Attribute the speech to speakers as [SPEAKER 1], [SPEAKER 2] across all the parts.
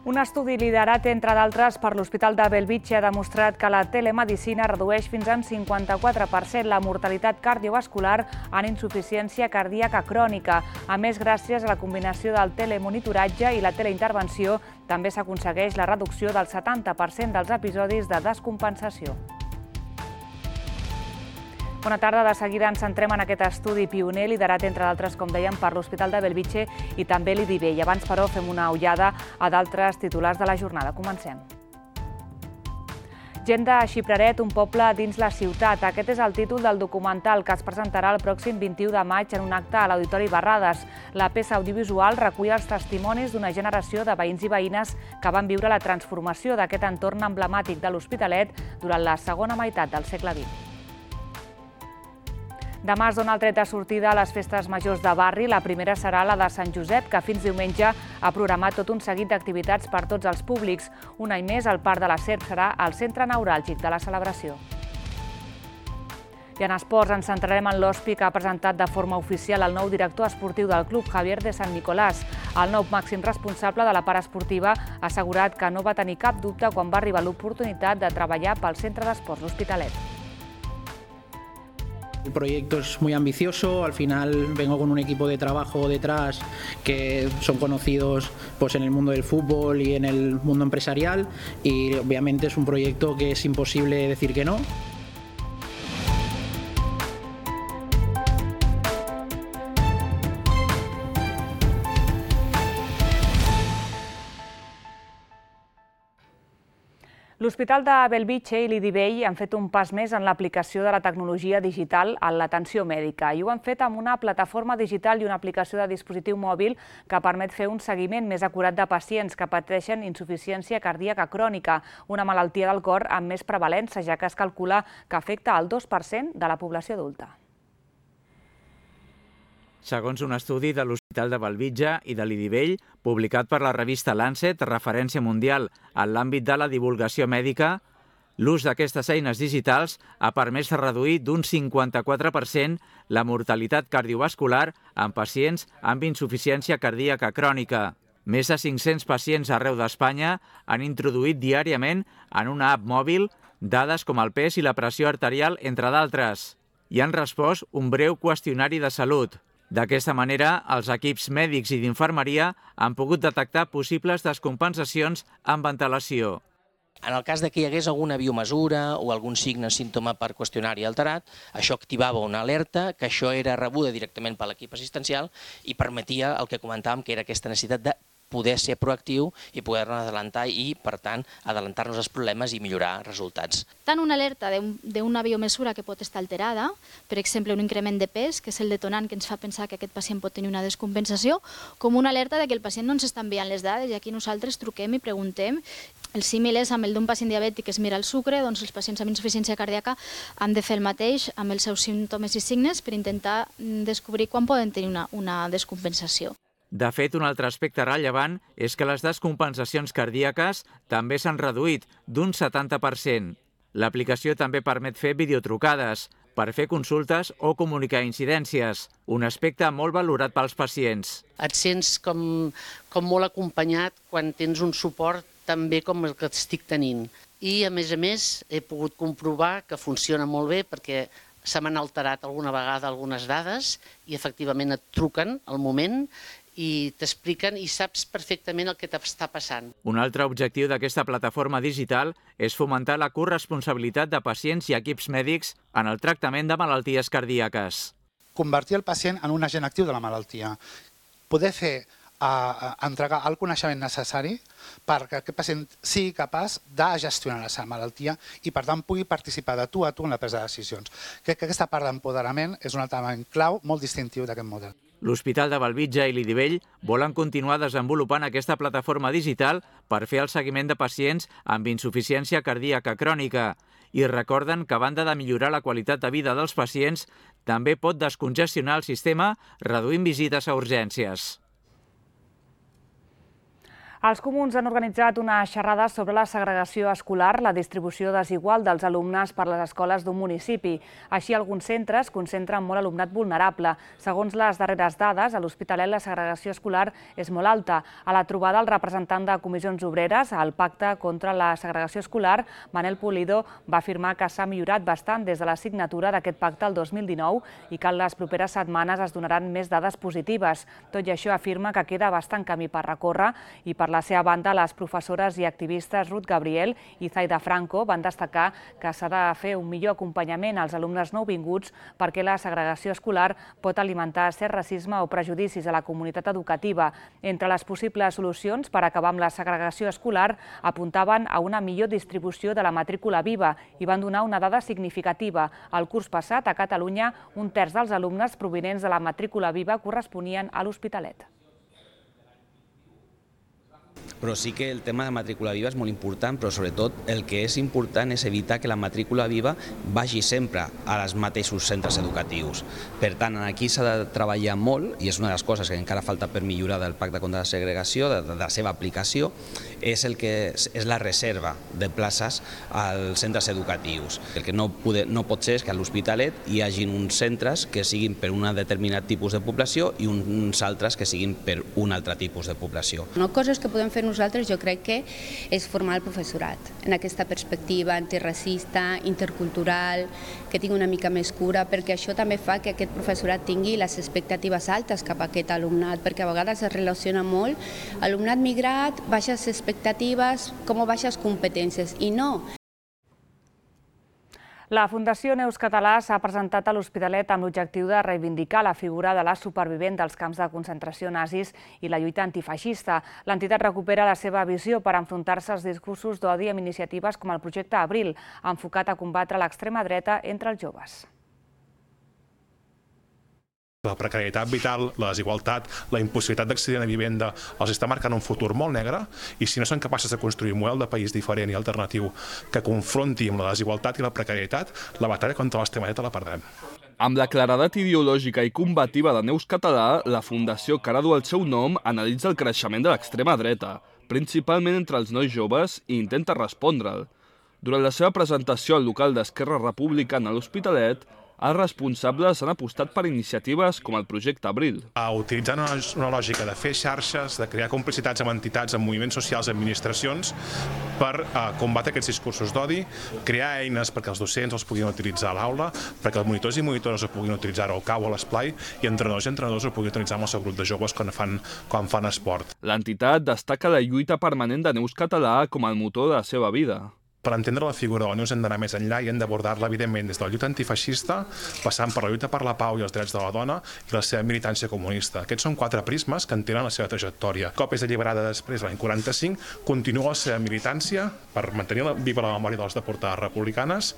[SPEAKER 1] Un estudi liderat, entre d'altres, per l'Hospital de Bellvitge ha demostrat que la telemedicina redueix fins a un 54% la mortalitat cardiovascular en insuficiència cardíaca crònica. A més, gràcies a la combinació del telemonitoratge i la teleintervenció, també s'aconsegueix la reducció del 70% dels episodis de descompensació. Bona tarda. De seguida ens centrem en aquest estudi pioner, liderat, entre d'altres, com dèiem, per l'Hospital de Bellvitge i també l'IDIVEI. Abans, però, fem una ullada a d'altres titulars de la jornada. Comencem. Gent de Xipraret, un poble dins la ciutat. Aquest és el títol del documental que es presentarà el pròxim 21 de maig en un acte a l'Auditori Barrades. La peça audiovisual recull els testimonis d'una generació de veïns i veïnes que van viure la transformació d'aquest entorn emblemàtic de l'Hospitalet durant la segona meitat del segle XX. Demà es dona el tret de sortida a les festes majors de barri. La primera serà la de Sant Josep, que fins diumenge ha programat tot un seguit d'activitats per tots els públics. Un any més, el Parc de la Serp serà el centre neuràlgic de la celebració. I en esports ens centrarem en l'Hospi, que ha presentat de forma oficial el nou director esportiu del club, Javier de San Nicolás. El nou màxim responsable de la part esportiva ha assegurat que no va tenir cap dubte quan va arribar l'oportunitat de treballar pel Centre d'Esports L'Hospitalet.
[SPEAKER 2] El proyecto es muy ambicioso, al final vengo con un equipo de trabajo detrás que son conocidos pues, en el mundo del fútbol y en el mundo empresarial y obviamente es un proyecto que es imposible decir que no.
[SPEAKER 1] L'Hospital de Bellvitge i l'IDIVEI han fet un pas més en l'aplicació de la tecnologia digital en l'atenció mèdica i ho han fet amb una plataforma digital i una aplicació de dispositiu mòbil que permet fer un seguiment més acurat de pacients que pateixen insuficiència cardíaca crònica, una malaltia del cor amb més prevalença, ja que es calcula que afecta el 2% de la població adulta.
[SPEAKER 3] Segons un estudi de l'Hospital de Bellvitge i de l'IDIVEI, publicat per la revista Lancet, referència mundial en l'àmbit de la divulgació mèdica, l'ús d'aquestes eines digitals ha permès reduir d'un 54% la mortalitat cardiovascular en pacients amb insuficiència cardíaca crònica. Més de 500 pacients arreu d'Espanya han introduït diàriament en una app mòbil dades com el pes i la pressió arterial, entre d'altres, i han respost un breu qüestionari de salut. D'aquesta manera, els equips mèdics i d'infermeria han pogut detectar possibles descompensacions amb antelació.
[SPEAKER 4] En el cas que hi hagués alguna biomesura o algun signe o símptoma per qüestionari alterat, això activava una alerta, que això era rebuda directament per l'equip assistencial i permetia el que comentàvem, que era aquesta necessitat de poder ser proactiu i poder-nos adelantar i, per tant, adelantar-nos als problemes i millorar resultats.
[SPEAKER 5] Tant una alerta d'una biomesura que pot estar alterada, per exemple, un increment de pes, que és el detonant que ens fa pensar que aquest pacient pot tenir una descompensació, com una alerta que el pacient no ens està enviant les dades i aquí nosaltres truquem i preguntem. El símil és amb el d'un pacient diabètic que es mira el sucre, doncs els pacients amb insuficiència cardíaca han de fer el mateix amb els seus símptomes i signes per intentar descobrir quan poden tenir una descompensació.
[SPEAKER 3] De fet, un altre aspecte rellevant és que les descompensacions cardíaques també s'han reduït d'un 70%. L'aplicació també permet fer videotrucades per fer consultes o comunicar incidències, un aspecte molt valorat pels pacients.
[SPEAKER 6] Et sents com molt acompanyat quan tens un suport tan bé com el que estic tenint. I, a més, he pogut comprovar que funciona molt bé perquè se m'han alterat alguna vegada algunes dades i efectivament et truquen al moment i t'expliquen i saps perfectament el que t'està passant.
[SPEAKER 3] Un altre objectiu d'aquesta plataforma digital és fomentar la corresponsabilitat de pacients i equips mèdics en el tractament de malalties cardíaques.
[SPEAKER 7] Convertir el pacient en un agent actiu de la malaltia. Poder entregar el coneixement necessari perquè aquest pacient sigui capaç de gestionar la seva malaltia i, per tant, pugui participar de tu a tu en la presa de decisions. Crec que aquesta part d'empoderament és un element clau molt distintiu d'aquest model.
[SPEAKER 3] L'Hospital de Bellvitge i l'IDIVEI volen continuar desenvolupant aquesta plataforma digital per fer el seguiment de pacients amb insuficiència cardíaca crònica i recorden que, a banda de millorar la qualitat de vida dels pacients, també pot descongestionar el sistema reduint visites a urgències.
[SPEAKER 1] Els comuns han organitzat una xerrada sobre la segregació escolar, la distribució desigual dels alumnes per les escoles d'un municipi. Així, alguns centres concentren molt alumnat vulnerable. Segons les darreres dades, a l'Hospitalet la segregació escolar és molt alta. A la trobada, el representant de Comissions Obreres al Pacte contra la Segregació Escolar, Manel Pulido, va afirmar que s'ha millorat bastant des de la signatura d'aquest pacte el 2019 i que en les properes setmanes es donaran més dades positives. Tot i això, afirma que queda bastant camí per recórrer i per la seva banda, les professores i activistes Ruth Gabriel i Zaida Franco van destacar que s'ha de fer un millor acompanyament als alumnes nouvinguts perquè la segregació escolar pot alimentar cert racisme o prejudicis a la comunitat educativa. Entre les possibles solucions per acabar amb la segregació escolar apuntaven a una millor distribució de la matrícula viva i van donar una dada significativa. El curs passat, a Catalunya, un terç dels alumnes provinents de la matrícula viva corresponien a l'Hospitalet.
[SPEAKER 8] Però sí que el tema de matrícula viva és molt important, però sobretot el que és important és evitar que la matrícula viva vagi sempre als mateixos centres educatius. Per tant, aquí s'ha de treballar molt, i és una de les coses que encara falta per millorar del Pacte contra la Segregació, de la seva aplicació, és la reserva de places als centres educatius. El que no pot ser és que a l'Hospitalet hi hagi uns centres que siguin per un determinat tipus de població i uns altres que siguin per un altre tipus de població.
[SPEAKER 9] Coses que podem fer nosaltres, jo crec que és formar el professorat en aquesta perspectiva antiracista, intercultural, que tingui una mica més cura, perquè això també fa que aquest professorat tingui les expectatives altes cap a aquest alumnat, perquè a vegades es relaciona molt alumnat migrat, baixes expectatives com a baixes competències, i no.
[SPEAKER 1] La Fundació Neus Català s'ha presentat a l'Hospitalet amb l'objectiu de reivindicar la figura de la supervivent dels camps de concentració nazis i la lluita antifeixista. L'entitat recupera la seva visió per enfrontar-se als discursos d'odi amb iniciatives com el projecte Abril, enfocat a combatre l'extrema dreta entre els joves.
[SPEAKER 10] La precarietat vital, la desigualtat, la impossibilitat d'accedir a una vivenda els està marcant un futur molt negre, i si no són capaces de construir un model de país diferent i alternatiu que confronti amb la desigualtat i la precarietat, la batalla contra l'extrema dreta la perdrem.
[SPEAKER 11] Amb la claredat ideològica i combativa de Neus Català, la fundació que ara du el seu nom analitza el creixement de l'extrema dreta, principalment entre els nois joves, i intenta respondre'l. Durant la seva presentació al local d'Esquerra Republicana a l'Hospitalet, els responsables han apostat per iniciatives com el projecte Abril.
[SPEAKER 10] Utilitzant una lògica de fer xarxes, de crear complicitats amb entitats, amb moviments socials, administracions, per combatre aquests discursos d'odi, crear eines perquè els docents els puguin utilitzar a l'aula, perquè els monitors i monitores ho puguin utilitzar al cau o a l'esplai, i entrenadors i entrenadors ho puguin utilitzar amb el seu grup de joves quan fan esport.
[SPEAKER 11] L'entitat destaca la lluita permanent de Neus Català com el motor de la seva vida.
[SPEAKER 10] Per entendre la figura de la Neus hem d'anar més enllà i hem d'abordar-la, evidentment, des de la lluita antifeixista, passant per la lluita per la pau i els drets de la dona i la seva militància comunista. Aquests són 4 prismes que entenen la seva trajectòria. Cop és alliberada després, l'any 45, continua la seva militància per mantenir viva la memòria de les deportades republicanes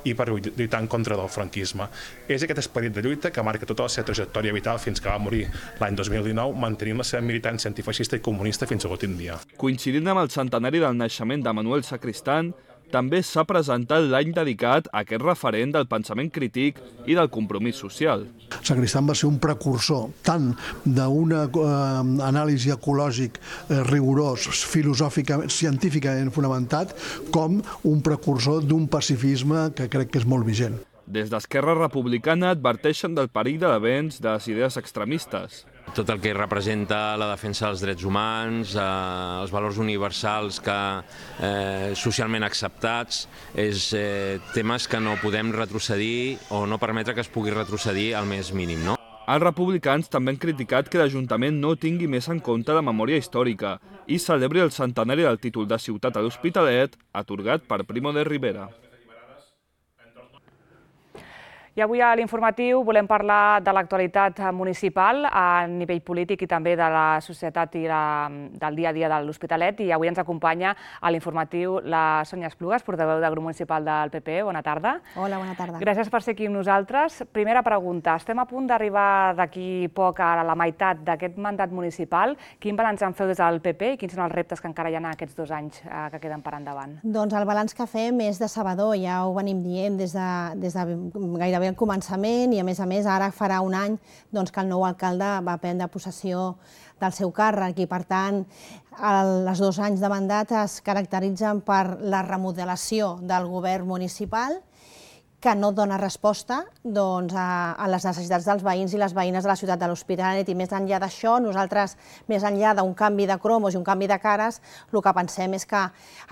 [SPEAKER 10] i per lluitar en contra del franquisme. És aquest esperit de lluita que marca tota la seva trajectòria vital fins que va morir l'any 2019, mantenint la seva militància antifeixista i comunista fins a l'últim dia.
[SPEAKER 11] Coincidint amb el centenari del naixement de Manuel Sacristán, també s'ha presentat l'any dedicat a aquest referent del pensament crític i del compromís social.
[SPEAKER 12] Sacristán va ser un precursor tant d'una anàlisi ecològic rigorós, filosòficament, científicament fonamentat, com un precursor d'un pacifisme que crec que és molt vigent.
[SPEAKER 11] Des d'Esquerra Republicana adverteixen del perill de l'avenç de les idees extremistes.
[SPEAKER 13] Tot el que representa la defensa dels drets humans, els valors universals socialment acceptats, és temes que no podem retrocedir o no permetre que es pugui retrocedir al més mínim.
[SPEAKER 11] Els republicans també han criticat que l'Ajuntament no tingui més en compte la memòria històrica i celebri el centenari del títol de ciutat a l'Hospitalet, atorgat per Primo de Rivera.
[SPEAKER 1] I avui a l'informatiu volem parlar de l'actualitat municipal a nivell polític i també de la societat i del dia a dia de l'Hospitalet. I avui ens acompanya a l'informatiu la Sònia Esplugues, portaveu del grup municipal del PP. Bona tarda.
[SPEAKER 14] Hola, bona tarda.
[SPEAKER 1] Gràcies per ser aquí amb nosaltres. Primera pregunta. Estem a punt d'arribar d'aquí poc a la meitat d'aquest mandat municipal. Quin balanç en feu des del PP i quins són els reptes que encara hi ha aquests 2 anys que queden per endavant?
[SPEAKER 14] Doncs el balanç que fem és decebedor, ja ho venim dient des de gairebé al començament i, a més, ara farà un any que el nou alcalde va prendre possessió del seu càrrec i, per tant, els 2 anys de mandat es caracteritzen per la remodelació del govern municipal que no dona resposta a les necessitats dels veïns i les veïnes de la ciutat de l'Hospitalet. I més enllà d'això, nosaltres, més enllà d'un canvi de cromos i un canvi de cares, el que pensem és que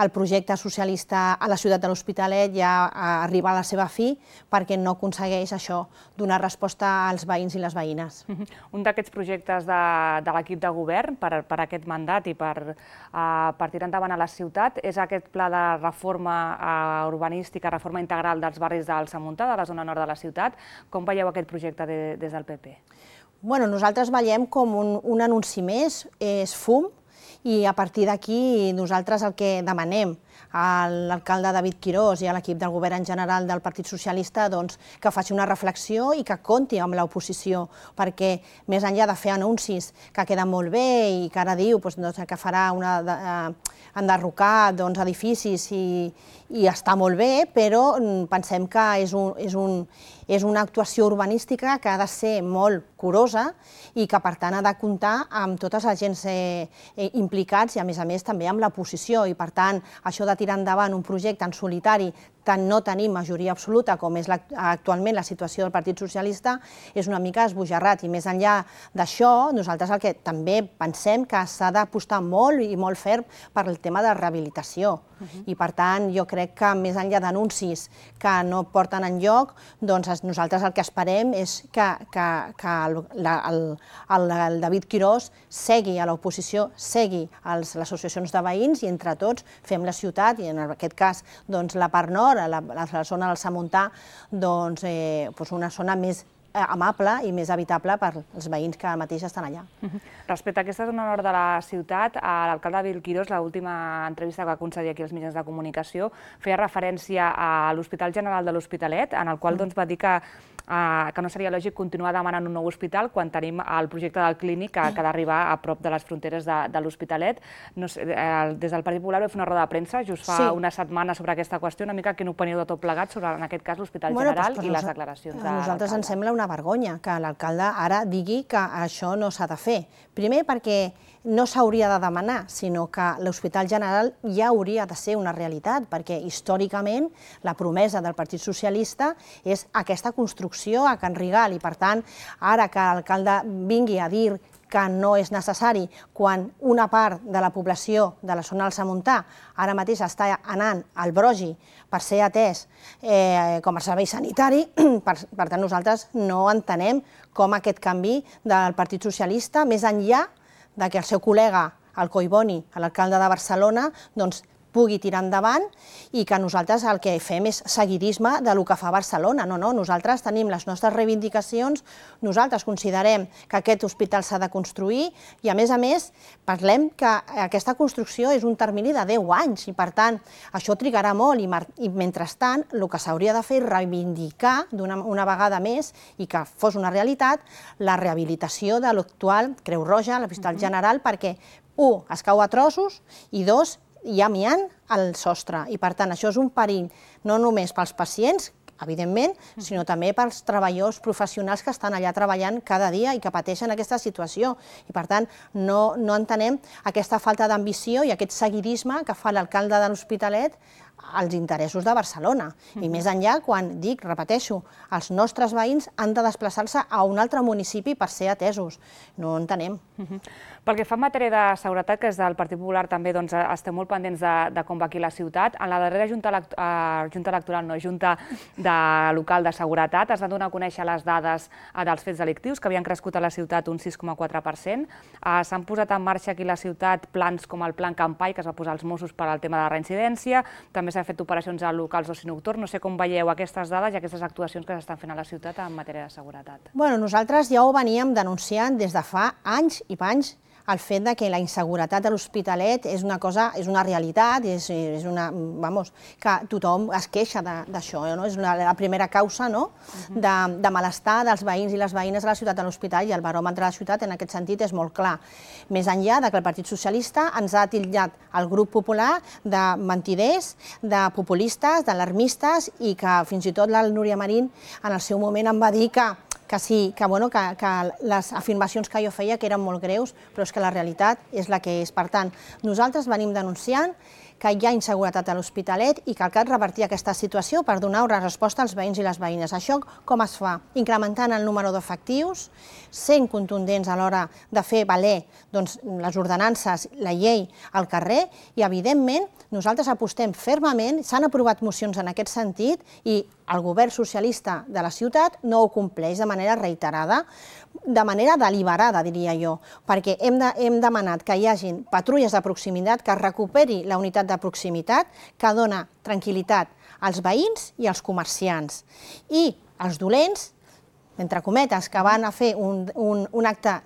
[SPEAKER 14] el projecte socialista a la ciutat de l'Hospitalet ja arriba a la seva fi perquè no aconsegueix això, donar resposta als veïns i les veïnes.
[SPEAKER 1] Un d'aquests projectes de l'equip de govern per aquest mandat i per tirar endavant a la ciutat és aquest pla de reforma urbanística, reforma integral dels barris del Samuntà, de la zona nord de la ciutat. Com veieu aquest projecte des del PP?
[SPEAKER 14] Nosaltres veiem com un anunci més, és fum, i a partir d'aquí nosaltres el que demanem a l'alcalde David Quirós i a l'equip del govern en general del Partit Socialista que faci una reflexió i que compti amb l'oposició, perquè més enllà de fer anuncis que queden molt bé i que ara diu que farà enderrocar edificis i està molt bé, però pensem que és una actuació urbanística que ha de ser molt curosa i que, per tant, ha de comptar amb tots els agents implicats i, a més també amb l'oposició. I, per tant, això de tirar endavant un projecte en solitari no tenim majoria absoluta, com és actualment la situació del Partit Socialista, és una mica esbojarrat. I més enllà d'això, nosaltres el que també pensem que s'ha d'apostar molt i molt ferm per el tema de rehabilitació. I, per tant, jo crec que més enllà d'anuncis que no porten enlloc, nosaltres el que esperem és que el David Quirós segui a l'oposició, segui a les associacions de veïns i entre tots fem la ciutat, i en aquest cas la part nord, a la zona del Samuntà, una zona més amable i més habitable per als veïns que ara mateix estan allà.
[SPEAKER 1] Respecte a aquesta zona nord de la ciutat, l'alcalde David Quirós, l'última entrevista que va concedir aquí als mitjans de comunicació, feia referència a l'Hospital General de l'Hospitalet, en el qual va dir que no seria lògic continuar demanant un nou hospital quan tenim el projecte del clínic que ha d'arribar a prop de les fronteres de l'Hospitalet. Des del Partit Popular va fer una roda de premsa just fa una setmana sobre aquesta qüestió, una mica quina opinió de tot plegat sobre, en aquest cas, l'Hospital General i les declaracions de l'alcalde.
[SPEAKER 14] A nosaltres ens sembla una vergonya que l'alcalde ara digui que això no s'ha de fer. Primer perquè no s'hauria de demanar, sinó que l'Hospital General ja hauria de ser una realitat, perquè històricament la promesa del Partit Socialista és aquesta construcció a Can Rigal i, per tant, ara que l'alcalde vingui a dir que no és necessari quan una part de la població de la zona del Samuntà ara mateix està anant al Brogi per ser atès com a servei sanitari, per tant nosaltres no entenem com aquest canvi del Partit Socialista, més enllà que el seu col·lega, el Collboni, l'alcalde de Barcelona, pugui tirar endavant i que nosaltres el que fem és seguidisme del que fa Barcelona. No, nosaltres tenim les nostres reivindicacions, nosaltres considerem que aquest hospital s'ha de construir i, a més, parlem que aquesta construcció és un termini de 10 anys i, per tant, això trigarà molt i, mentrestant, el que s'hauria de fer és reivindicar una vegada més i que fos una realitat la rehabilitació de l'actual Creu Roja, l'Hospital General, perquè, 1, es cau a trossos i 2, hi ha amiant al sostre i, per tant, això és un perill no només pels pacients, evidentment, sinó també pels treballadors professionals que estan allà treballant cada dia i que pateixen aquesta situació. I, per tant, no entenem aquesta falta d'ambició i aquest seguidisme que fa l'alcalde de l'Hospitalet als interessos de Barcelona. I més enllà, quan dic, repeteixo, els nostres veïns han de desplaçar-se a un altre municipi per ser atesos. No ho entenem.
[SPEAKER 1] Pel que fa en matèria de seguretat, que des del Partit Popular també estem molt pendents de com va aquí la ciutat, en la darrera junta local de seguretat es van donar a conèixer les dades dels fets delictius, que havien crescut a la ciutat un 6,4%. S'han posat en marxa aquí a la ciutat plans com el Plan Campai, que es va posar als Mossos per al tema de la reincidència, també s'han fet operacions a locals d'oci nocturn. No sé com veieu aquestes dades i aquestes actuacions que s'estan fent a la ciutat en matèria de seguretat.
[SPEAKER 14] Nosaltres ja ho veníem denunciant des de fa anys i panys el fet de que la inseguretat a l'Hospitalet és una cosa, és una realitat, és una, vamos, que tothom es queixa d'això, no? És la primera causa, no?, de malestar dels veïns i les veïnes de la ciutat de l'Hospitalet, i el baròmetre de la ciutat en aquest sentit és molt clar. Més enllà que el Partit Socialista ens ha titllat el grup popular de mentiders, de populistes, d'alarmistes, i que fins i tot la Núria Marín en el seu moment em va dir que sí, que les afirmacions que jo feia que eren molt greus, però és que la realitat és la que és. Per tant, nosaltres venim denunciant que hi ha inseguretat a l'Hospitalet i que cal revertir aquesta situació per donar una resposta als veïns i les veïnes. Això com es fa? Incrementant el número d'efectius, sent contundents a l'hora de fer valer les ordenances, la llei al carrer, i evidentment nosaltres apostem fermament, s'han aprovat mocions en aquest sentit i el govern socialista de la ciutat no ho compleix de manera reiterada, de manera deliberada, diria jo, perquè hem demanat que hi hagin patrulles de proximitat, que es recuperi la unitat de proximitat, que dona tranquil·litat als veïns i als comerciants. I els dolents, entre cometes, que van a fer un acte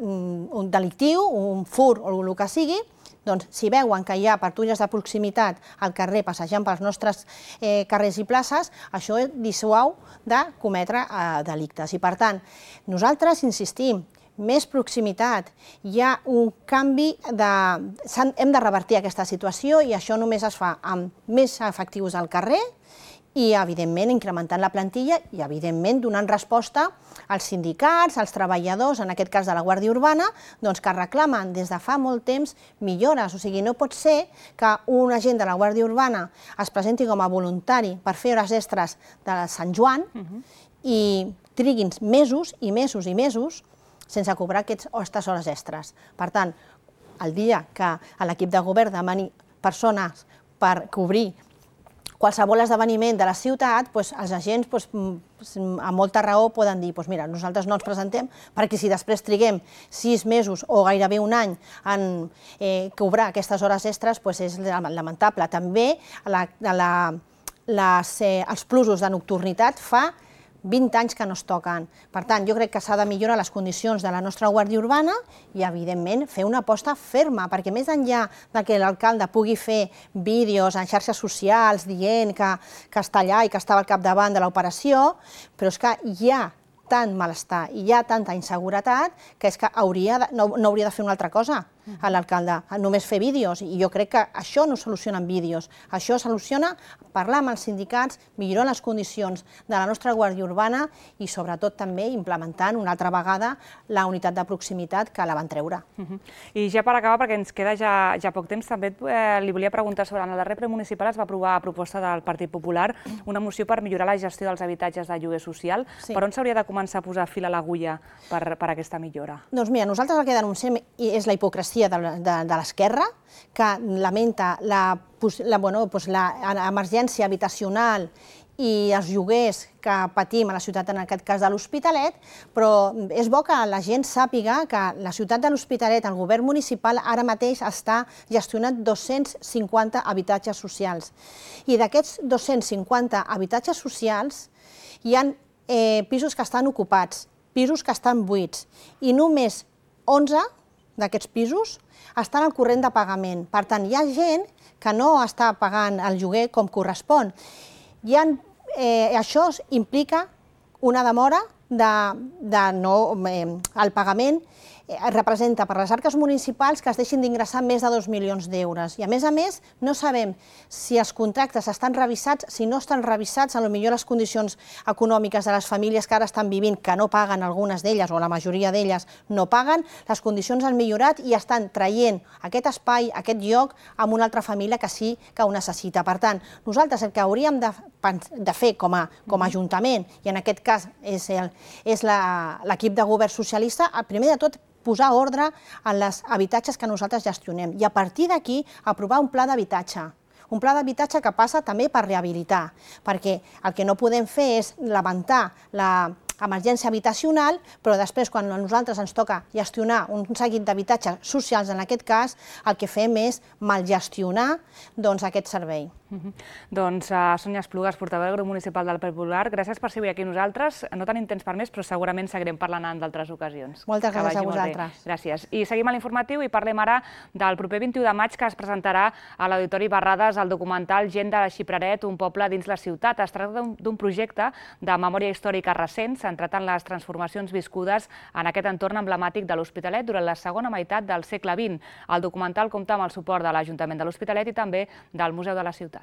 [SPEAKER 14] delictiu, un fur o el que sigui, doncs si veuen que hi ha patrulles de proximitat al carrer passejant pels nostres carrers i places, això dissuau de cometre delictes. I per tant, nosaltres insistim, més proximitat, hi ha un canvi, hem de revertir aquesta situació i això només es fa amb més efectius al carrer i, evidentment, incrementant la plantilla i, evidentment, donant resposta als sindicats, als treballadors, en aquest cas de la Guàrdia Urbana, que reclamen des de fa molt temps millores. O sigui, no pot ser que un agent de la Guàrdia Urbana es presenti com a voluntari per fer hores extres de Sant Joan i triguin mesos i mesos i mesos sense cobrar aquestes hores extres. Per tant, el dia que l'equip de govern demani persones per cobrir qualsevol esdeveniment de la ciutat, els agents amb molta raó poden dir mira, nosaltres no ens presentem perquè si després triguem 6 mesos o gairebé un any en cobrar aquestes hores extres és lamentable. També els plusos de nocturnitat fa 20 anys que no es toquen. Per tant, jo crec que s'ha de millorar les condicions de la nostra Guàrdia Urbana i, evidentment, fer una aposta ferma, perquè més enllà que l'alcalde pugui fer vídeos en xarxes socials dient que està allà i que estava al capdavant de l'operació, però és que hi ha tant malestar i hi ha tanta inseguretat que és que no hauria de fer una altra cosa l'alcalde, només fer vídeos. I jo crec que això no soluciona amb vídeos, això soluciona parlar amb els sindicats, millorar les condicions de la nostra Guàrdia Urbana i sobretot també implementant una altra vegada la unitat de proximitat que la van treure.
[SPEAKER 1] I ja per acabar, perquè ens queda ja poc temps, també li volia preguntar sobre en el darrer ple municipal es va aprovar a proposta del Partit Popular una moció per millorar la gestió dels habitatges de lloguer social. Per on s'hauria de començar a posar fil a l'agulla per aquesta millora?
[SPEAKER 14] Doncs mira, nosaltres el que denunciem és la hipocresia de l'esquerra, que lamenta l'emergència habitacional i els lloguers que patim a la ciutat, en aquest cas de l'Hospitalet, però és bo que la gent sàpiga que la ciutat de l'Hospitalet, el govern municipal, ara mateix està gestionant 250 habitatges socials. I d'aquests 250 habitatges socials hi ha pisos que estan ocupats, pisos que estan buits, i només 11 d'aquests pisos estan al corrent de pagament. Per tant, hi ha gent que no està pagant el lloguer com correspon. Això implica una demora el pagament representa per les arques municipals que es deixin d'ingressar més de 2 milions d'euros. I a més, no sabem si els contractes estan revisats, si no estan revisats, potser les condicions econòmiques de les famílies que ara estan vivint, que no paguen algunes d'elles, o la majoria d'elles no paguen, les condicions han millorat i estan traient aquest espai, aquest lloc, amb una altra família que sí que ho necessita. Per tant, nosaltres el que hauríem de fer com a Ajuntament, i en aquest cas és l'equip de govern socialista, primer de tot posar ordre en els habitatges que nosaltres gestionem i a partir d'aquí aprovar un pla d'habitatge. Un pla d'habitatge que passa també per rehabilitar, perquè el que no podem fer és lamentar l'emergència habitacional, però després quan a nosaltres ens toca gestionar un seguit d'habitatges socials, en aquest cas, el que fem és malgestionar aquest servei.
[SPEAKER 1] Doncs Sònia Esplugas, portaveu del grup municipal del Partit Popular, gràcies per ser avui aquí nosaltres. No tenim temps per més, però segurament seguirem parlant en d'altres ocasions.
[SPEAKER 14] Moltes gràcies a vosaltres.
[SPEAKER 1] Gràcies. I seguim a l'informatiu i parlem ara del proper 21 de maig que es presentarà a l'Auditori Barrades el documental Gent de Xipraret, un poble dins la ciutat. Es tracta d'un projecte de memòria històrica recent centrat en les transformacions viscudes en aquest entorn emblemàtic de l'Hospitalet durant la segona meitat del segle XX. El documental compta amb el suport de l'Ajuntament de l'Hospitalet i també del Museu de la Ciutat.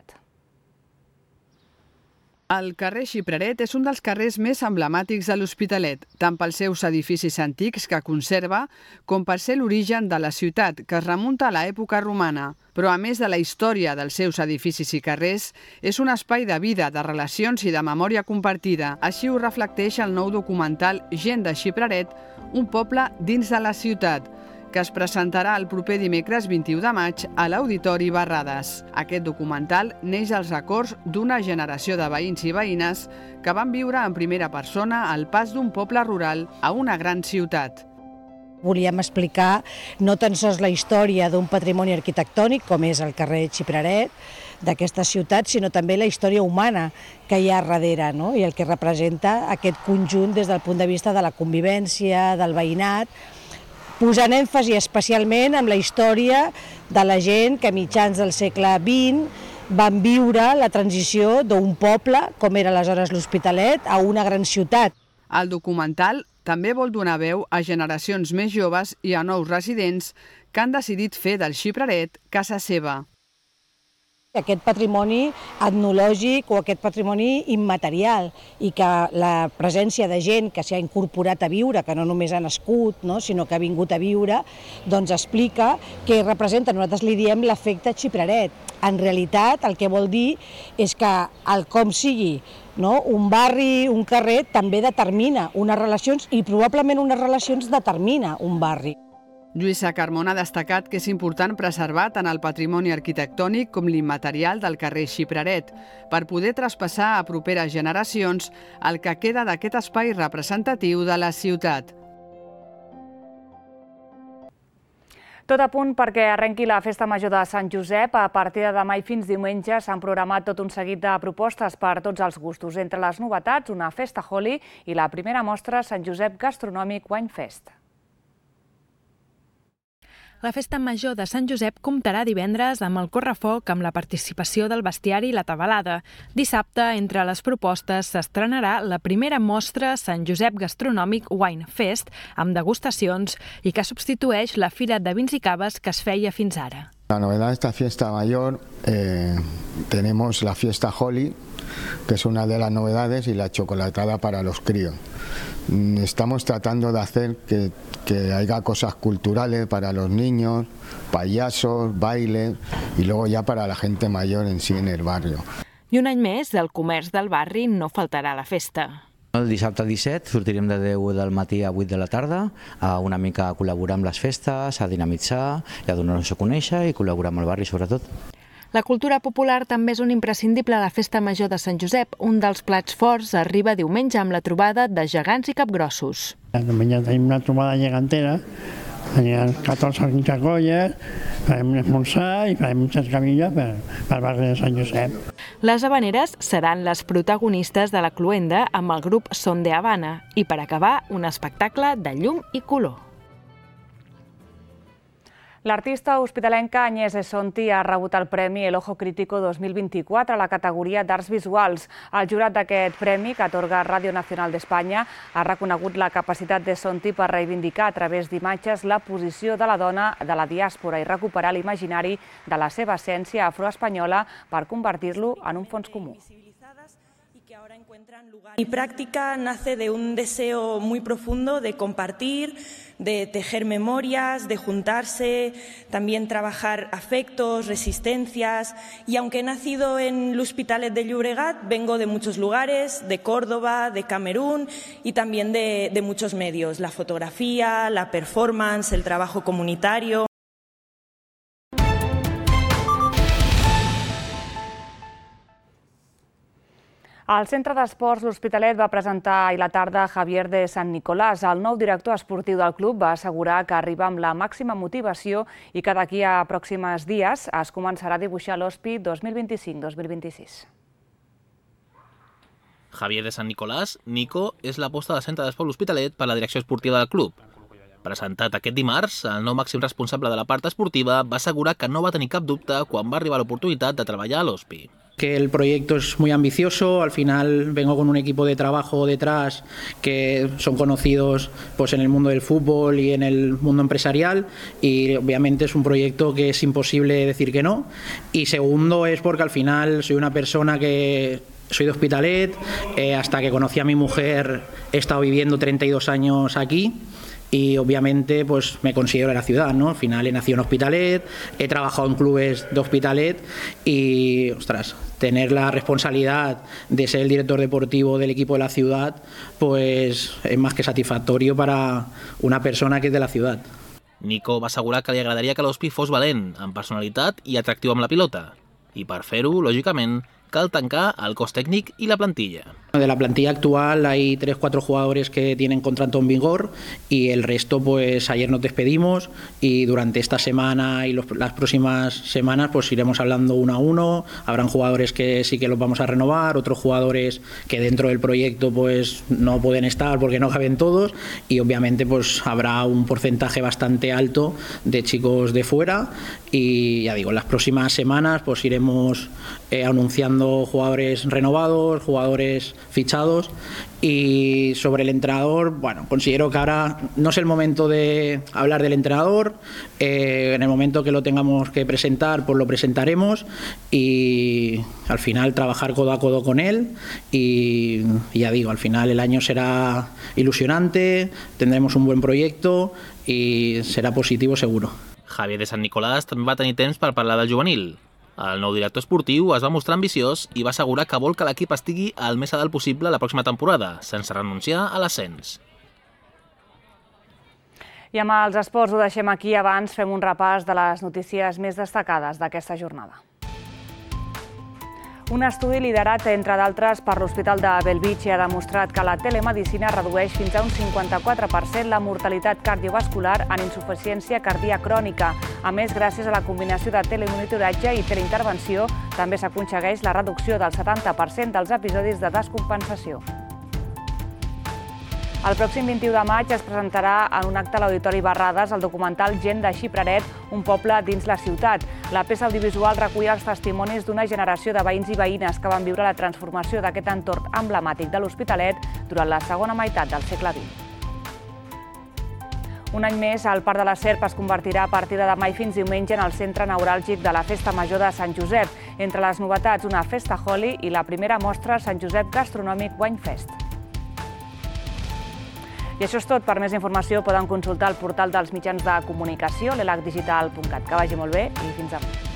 [SPEAKER 15] El carrer Xipraret és un dels carrers més emblemàtics de l'Hospitalet, tant pels seus edificis antics que conserva, com per ser l'origen de la ciutat, que es remunta a l'època romana. Però a més de la història dels seus edificis i carrers, és un espai de vida, de relacions i de memòria compartida. Així ho reflecteix el nou documental Gent de Xipraret, un poble dins de la ciutat, que es presentarà el proper dimecres 21 de maig a l'Auditori Barrades. Aquest documental neix als records d'una generació de veïns i veïnes que van viure en primera persona el pas d'un poble rural a una gran ciutat.
[SPEAKER 16] Volíem explicar no tan sols la història d'un patrimoni arquitectònic, com és el carrer Xipraret, d'aquesta ciutat, sinó també la història humana que hi ha darrere, no? I el que representa aquest conjunt des del punt de vista de la convivència, del veïnat, posant èmfasi especialment en la història de la gent que a mitjans del segle XX van viure la transició d'un poble, com era aleshores l'Hospitalet, a una gran ciutat.
[SPEAKER 15] El documental també vol donar veu a generacions més joves i a nous residents que han decidit fer del Xipraret casa seva.
[SPEAKER 16] Aquest patrimoni etnològic o aquest patrimoni immaterial i que la presència de gent que s'hi ha incorporat a viure, que no només ha nascut, sinó que ha vingut a viure, doncs explica què representa, nosaltres li diem l'efecte Xipraret. En realitat el que vol dir és que el com sigui, un barri, un carrer, també determina unes relacions i probablement unes relacions determina un barri.
[SPEAKER 15] Lluïsa Carmona ha destacat que és important preservar tant el patrimoni arquitectònic com l'immaterial del carrer Xipraret per poder traspassar a properes generacions el que queda d'aquest espai representatiu de la ciutat.
[SPEAKER 1] Tot a punt perquè arrenqui la Festa Major de Sant Josep. A partir de demà i fins diumenge s'han programat tot un seguit de propostes per a tots els gustos. Entre les novetats, una festa Holi i la primera mostra Sant Josep Gastronòmic Wine Fest.
[SPEAKER 17] La Festa Major de Sant Josep comptarà divendres amb el correfoc amb la participació del bestiari i la tabalada. Dissabte, entre les propostes, s'estrenarà la primera mostra Sant Josep Gastronòmic Wine Fest amb degustacions i que substitueix la Fira de Vins i Caves que es feia fins ara.
[SPEAKER 18] La novedad de esta fiesta mayor, tenemos la fiesta Holi, que es una de las novedades, y la chocolatada para los críos. Estamos tratando de hacer que haya cosas culturales para los niños, payasos, bailes, y luego ya para la gente mayor en sí en el barrio.
[SPEAKER 17] I un any més, el comerç del barri no faltarà a la festa.
[SPEAKER 19] El dissabte 17 sortirem de 10 del matí a 8 de la tarda a una mica a col·laborar amb les festes, a dinamitzar i a donar-nos a conèixer i col·laborar amb el barri sobretot.
[SPEAKER 17] La cultura popular també és un imprescindible a la Festa Major de Sant Josep. Un dels plats forts arriba diumenge amb la trobada de gegants i capgrossos.
[SPEAKER 20] Diumenge tenim una trobada gegantera, tenim 14 o 15 colles, farem un esmorzar i farem un cercavilla pel barri de Sant Josep.
[SPEAKER 17] Les havaneres seran les protagonistes de la cloenda amb el grup Son de Habana i per acabar un espectacle de llum i color.
[SPEAKER 1] L'artista hospitalenca Agnès Esonti ha rebut el Premi El Ojo Crítico 2024 a la categoria d'Arts Visuals. El jurat d'aquest premi, que atorga Radio Nacional d'Espanya, ha reconegut la capacitat d'Esonti per reivindicar a través d'imatges la posició de la dona de la diàspora i recuperar l'imaginari de la seva essència afroespanyola per convertir-lo en un fons comú.
[SPEAKER 21] Mi práctica nace de un deseo muy profundo de compartir, de tejer memorias, de juntarse, también trabajar afectos, resistencias. Y aunque he nacido en l'Hospitalet de Llobregat, vengo de muchos lugares, de Córdoba, de Camerún y también de muchos medios. La fotografía, la performance, el trabajo comunitario.
[SPEAKER 1] El Centre d'Esports L'Hospitalet va presentar ahir la tarda Javier de San Nicolás. El nou director esportiu del club va assegurar que arriba amb la màxima motivació i que d'aquí a pròxims dies es començarà a dibuixar l'Hospi 2025-2026.
[SPEAKER 2] Javier de San Nicolás, Nico, és l'aposta del Centre d'Esports L'Hospitalet per la direcció esportiva del club. Presentat aquest dimarts, el nou màxim responsable de la part esportiva va assegurar que no va tenir cap dubte quan va arribar l'oportunitat de treballar a l'Hospi.
[SPEAKER 22] Que el proyecto es muy ambicioso, al final vengo con un equipo de trabajo detrás que son conocidos pues, en el mundo del fútbol y en el mundo empresarial y obviamente es un proyecto que es imposible decir que no. Y segundo es porque al final soy una persona que soy de Hospitalet, hasta que conocí a mi mujer he estado viviendo 32 años aquí. Y obviamente pues me considero de la ciudad, ¿no? Al final he nacido en Hospitalet, he trabajado en clubes de Hospitalet y, ostras, tener la responsabilidad de ser el director deportivo del equipo de la ciudad pues es más que satisfactorio para una persona que es de la ciudad.
[SPEAKER 2] Nico va assegurar que li agradaria que l'Hospi fos valent, amb personalitat i atractiu amb la pilota. I per fer-ho, lògicament, cal tancar el cos tècnic i la plantilla.
[SPEAKER 22] De la plantilla actual hay 3-4 jugadores que tienen contrato en vigor y el resto pues ayer nos despedimos y durante esta semana y las próximas semanas pues iremos hablando uno a uno. Habrán jugadores que sí que los vamos a renovar, otros jugadores que dentro del proyecto pues no pueden estar porque no caben todos y obviamente pues habrá un porcentaje bastante alto de chicos de fuera y ya digo, en las próximas semanas pues iremos anunciando jugadores renovados, jugadores fichados y sobre el entrenador, bueno, considero que ahora no es el momento de hablar del entrenador, en el momento que lo tengamos que presentar pues lo presentaremos y al final trabajar codo a codo con él y ya digo, al final el año será ilusionante, tendremos un buen proyecto y será positivo seguro.
[SPEAKER 2] Javier de San Nicolás també va tenir temps per parlar del juvenil. El nou director esportiu es va mostrar ambiciós i va assegurar que vol que l'equip estigui al més a dalt possible la pròxima temporada, sense renunciar a l'ascens.
[SPEAKER 1] I amb els esports ho deixem aquí. Abans fem un repàs de les notícies més destacades d'aquesta jornada. Un estudi liderat, entre d'altres, per l'Hospital de Bellvitge ha demostrat que la telemedicina redueix fins a un 54% la mortalitat cardiovascular en insuficiència cardíaca crònica. A més, gràcies a la combinació de telemonitoratge i teleintervenció, també s'aconsegueix la reducció del 70% dels episodis de descompensació. El pròxim 21 de maig es presentarà en un acte a l'Auditori Barrades el documental Gent de Xipraret, un poble dins la ciutat. La peça audiovisual recull els testimonis d'una generació de veïns i veïnes que van viure la transformació d'aquest entorn emblemàtic de l'Hospitalet durant la segona meitat del segle XX. Un any més, el Parc de la Serp es convertirà a partir de demà i fins diumenge en el centre neuràlgic de la Festa Major de Sant Josep. Entre les novetats, una festa Holi i la primera mostra Sant Josep Gastronòmic Winefest. I això és tot. Per més informació poden consultar el portal dels mitjans de comunicació, l'elacdigital.cat. Que vagi molt bé i fins demà.